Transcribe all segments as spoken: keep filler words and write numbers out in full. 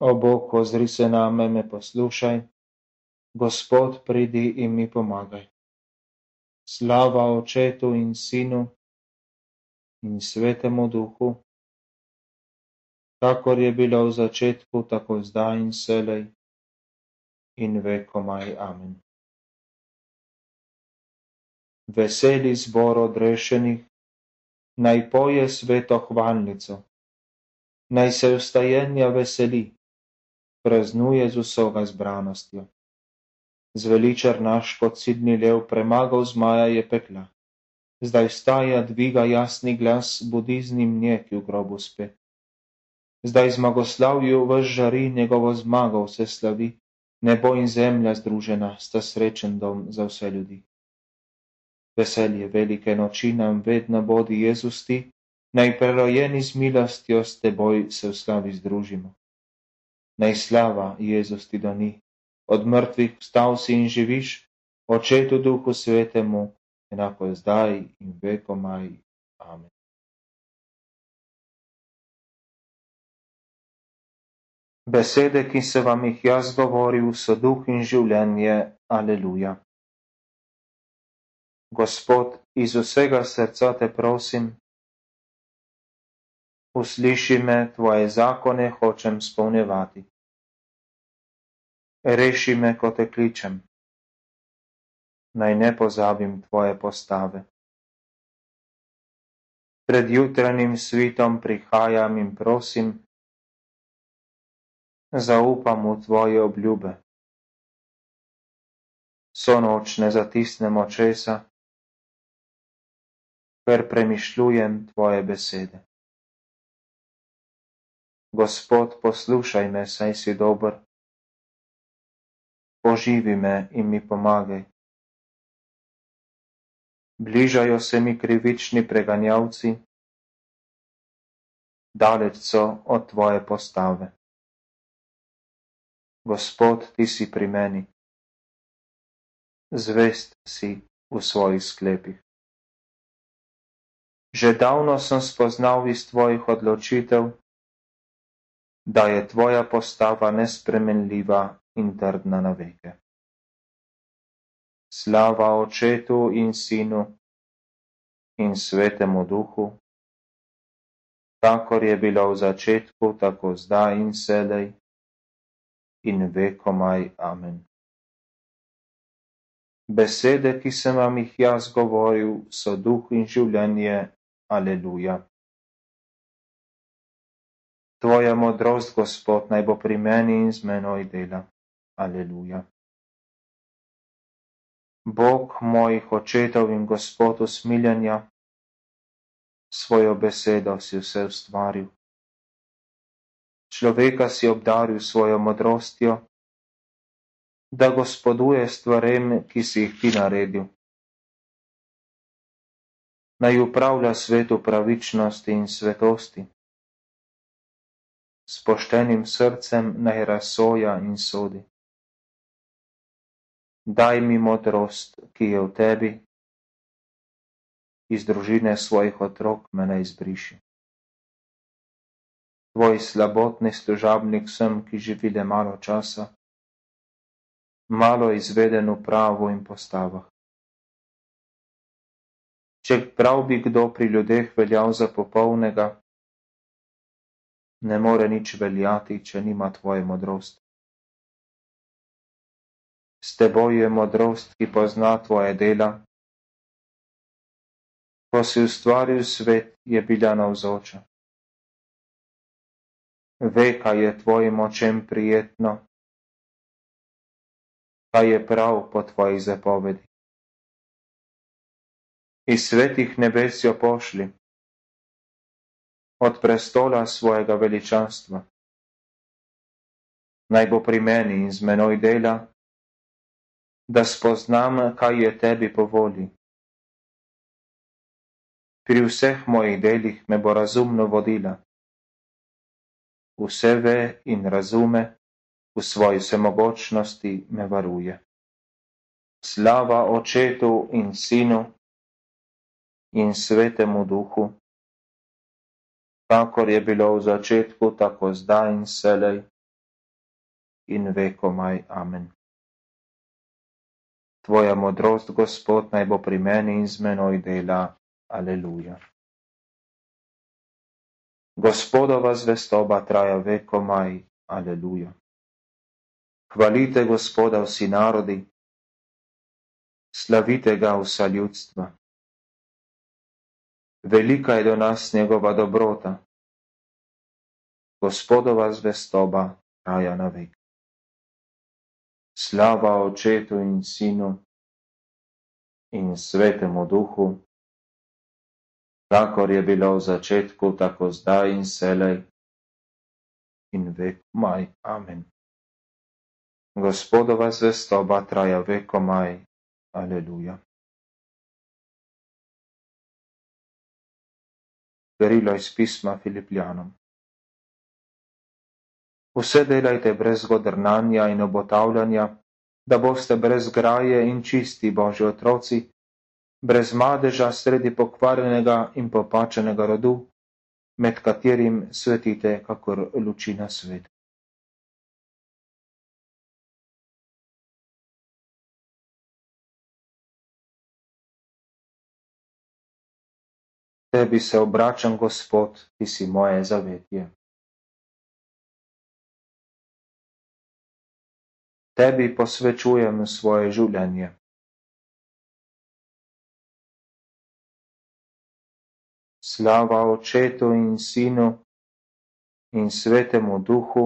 O Bog, ozri se name, me poslušaj. Gospod, pridi in mi pomagaj. Slava Očetu in Sinu in Svetemu Duhu, kakor je bilo v začetku, tako zdaj in vselej in vekomaj. Amen. Veseli zbor odrešenih, naj poje sveto hvalnico, naj se vstajenja veseli, praznuje z vsoga zbranostjo. Zveličar naš kot sidni lev premagal zmaja je pekla. Zdaj vstaja, dviga jasni glas, budi z njim nje, ki v grobu spe. Zdaj zmagoslavju ves žari, njegovo zmago vse slavi, nebo in zemlja združena sta srečen dom za vse ljudi. Veselje velike noči nam vedno bodi Jezus ti, naj prerojeni z milostjo s teboj se v slavi združimo. Naj slava Jezus ti doni, od mrtvih vstal si in živiš, Očetu Duhu Svetemu, enako je zdaj in vekomaj. Amen. Besede, ki se vam jih jaz govoril, so duh in življenje. Aleluja. Gospod, iz vsega srca te prosim, usliši me, tvoje zakone hočem spolnjevati. Reši me, ko te kličem, naj ne pozabim tvoje postave. Pred jutranjim svitom prihajam in prosim, zaupam v tvoje obljube. So noč ne zatisnem očesa, ker premišljujem tvoje besede. Gospod, poslušaj me, saj si dober. Poživi me in mi pomagaj. Bližajo se mi krivični preganjavci, daleč so od tvoje postave. Gospod, ti si pri meni, zvest si v svojih sklepih. Že davno sem spoznal iz tvojih odločitev, da je tvoja postava nespremenljiva in trdna na veke. Slava Očetu in Sinu in Svetemu Duhu, kakor je bilo v začetku, tako zdaj in vselej in vekomaj. Amen. Besede, ki sem vam jih jaz govoril, so duh in življenje. Aleluja. Tvoja modrost, Gospod, naj bo pri meni in z menoj dela. Aleluja. Bog mojih očetov in Gospod usmiljenja, svojo besedo si vse ustvaril. Človeka si obdaril svojo modrostjo, da gospoduje stvarem, ki si jih ti naredil. Naj upravlja svetu pravičnosti in svetosti. S poštenim srcem naj razsoja in sodi. Daj mi modrost, ki je v tebi, iz družine svojih otrok me ne izbriši. Tvoj slabotni služabnik sem, ki živi le malo časa, malo izveden v pravu in postavah. Če prav bi kdo pri ljudeh veljal za popolnega, ne more nič veljati, če nima tvoje modrosti. S teboj je modrost, ki pozna tvoje dela. Ko si ustvaril svet, je bila navzoča. Ve, kaj je tvojim očem prijetno, kaj je prav po tvojih zapovedi. Iz svetih nebes jo pošli, od prestola svojega veličanstva. Naj bo pri meni in z menoj dela, da spoznam, kaj je tebi po volji. Pri vseh mojih delih me bo razumno vodila. Vse ve in razume, v svoji vsemogočnosti me varuje. Slava Očetu in Sinu in Svetemu Duhu, kakor je bilo v začetku, tako zdaj in vselej in vekomaj. Amen. Tvoja modrost, Gospod, naj bo pri meni in z menoj dela. Aleluja. Gospodova zvestoba traja vekomaj. Aleluja. Hvalite Gospoda vsi narodi, slavite ga vsa ljudstva. Velika je do nas njegova dobrota. Gospodova zvestoba traja na vek. Slava Očetu in Sinu in Svetemu Duhu, kakor je bilo v začetku, tako zdaj in selej in vekomaj. Amen. Gospodova zvestoba traja vekomaj. Aleluja. Berilo iz pisma Filipljanom. Vse delajte brez godrnanja in obotavljanja, da boste brez graje in čisti Božji otroci, brez madeža sredi pokvarjenega in popačenega rodu, med katerim svetite kakor luči na svet. Tebi se obračam, Gospod, ti si moje zavetje. Tebi posvečujem svoje življenje. Slava Očetu in Sinu in Svetemu Duhu,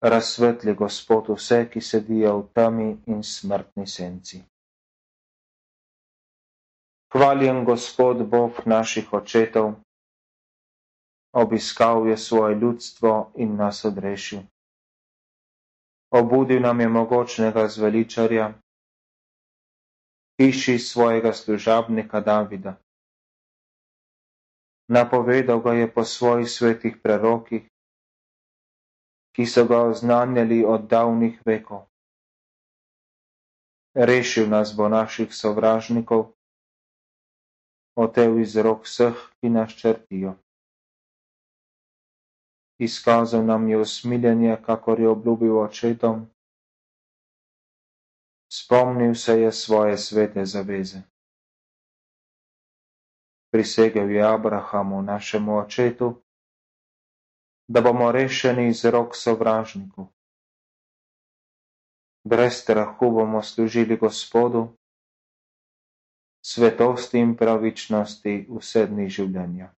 razsvetli Gospod vse, ki sedijo v temi in smrtni senci. Hvaljen Gospod Bog naših očetov, obiskal je svoje ljudstvo in nas odrešil. Obudil nam je mogočnega zveličarja, hiši svojega služabnika Davida. Napovedal ga je po svojih svetih prerokih, ki so ga oznanjali od davnih vekov. Rešil nas bo naših sovražnikov, otel iz rok vseh, ki nas črtijo. Izkazal nam je usmiljenje, kakor je obljubil očetom. Spomnil se je svoje svete zaveze. Prisegel je Abrahamu, našemu očetu, da bomo rešeni iz rok sovražnikov. Brez strahu bomo služili Gospodu, svetosti in pravičnosti vse dni življenja.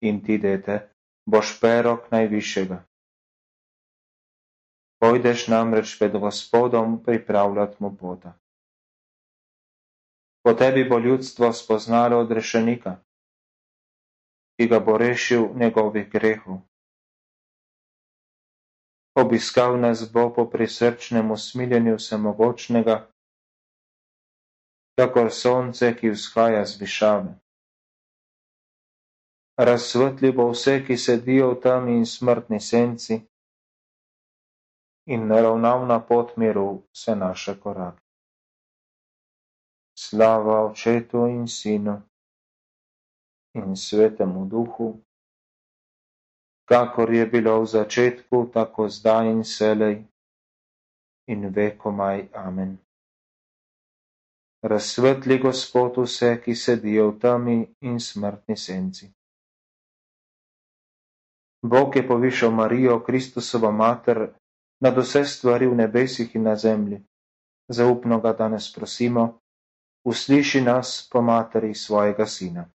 In ti, dete, boš perok najvišjega. Pojdeš namreč pred Gospodom pripravljat mu pota. Po tebi bo ljudstvo spoznalo odrešenika, ki ga bo rešil njegovih grehov. Obiskal nas bo po prisrčnem usmiljenju vsemogočnega, kakor sonce, ki vzhaja z višave. Razsvetli bo vse, ki sedijo v temi in smrtni senci, in naravnal na pot miru vse naše korake. Slava Očetu in Sinu in Svetemu Duhu, kakor je bilo v začetku, tako zdaj in selej in vekomaj. Amen. Razsvetli Gospod vse, ki sedijo v temi in smrtni senci. Bog je povišal Marijo, Kristusovo mater, nad vse stvari v nebesih in na zemlji. Zaupno ga danes prosimo, usliši nas po materi svojega Sina.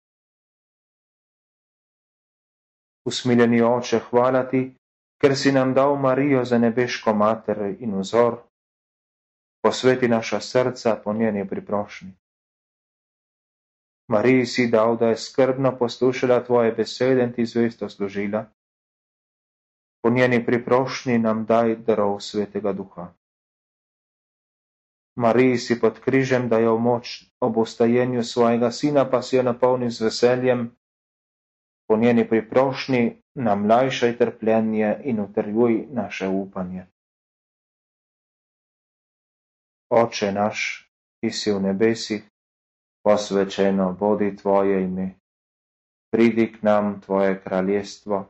Usmiljeni Oče, hvala ti, ker si nam dal Marijo za nebeško mater in vzor. Posveti naša srca po njeni priprošnji. Mariji si dal, da je skrbno poslušala tvoje besede in ti zvesto služila. Po njeni priprošnji nam daj darov Svetega Duha. Mariji si pod križem dajal moč ob ustajenju svojega Sina, pa si jo napolnil z veseljem. Po njeni priprošnji nam lajšaj trpljenje in utrjuj naše upanje. Oče naš, ki si v nebesih, posvečeno bodi tvoje ime. pridi k nam Tvoje kraljestvo,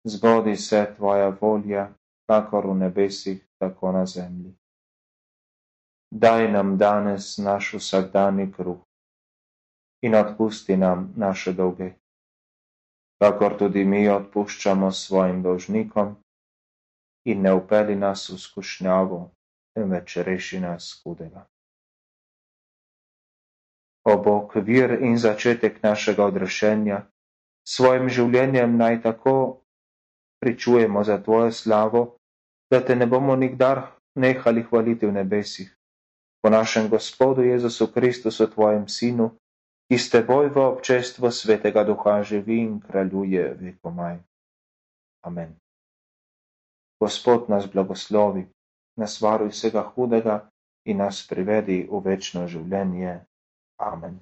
zgodi se Tvoja volja, kakor v nebesih, tako na zemlji. Daj nam danes naš vsakdanji kruh in odpusti nam naše dolge, kakor tudi mi odpuščamo svojim dolžnikom, in ne vpeli nas v skušnjavo, temveč reši nas hudega. O Bog, vir in začetek našega odrešenja, s svojim življenjem naj tako pričujemo za Tvojo slavo, da Te ne bomo nikdar nehali hvaliti v nebesih. Po našem Gospodu Jezusu Kristusu, Tvojem Sinu, ki s Teboj v občestvu Svetega Duha živi in kraljuje vekomaj. Amen. Gospod nas blagoslovi, nas varuj vsega hudega in nas privedi v večno življenje. Amen.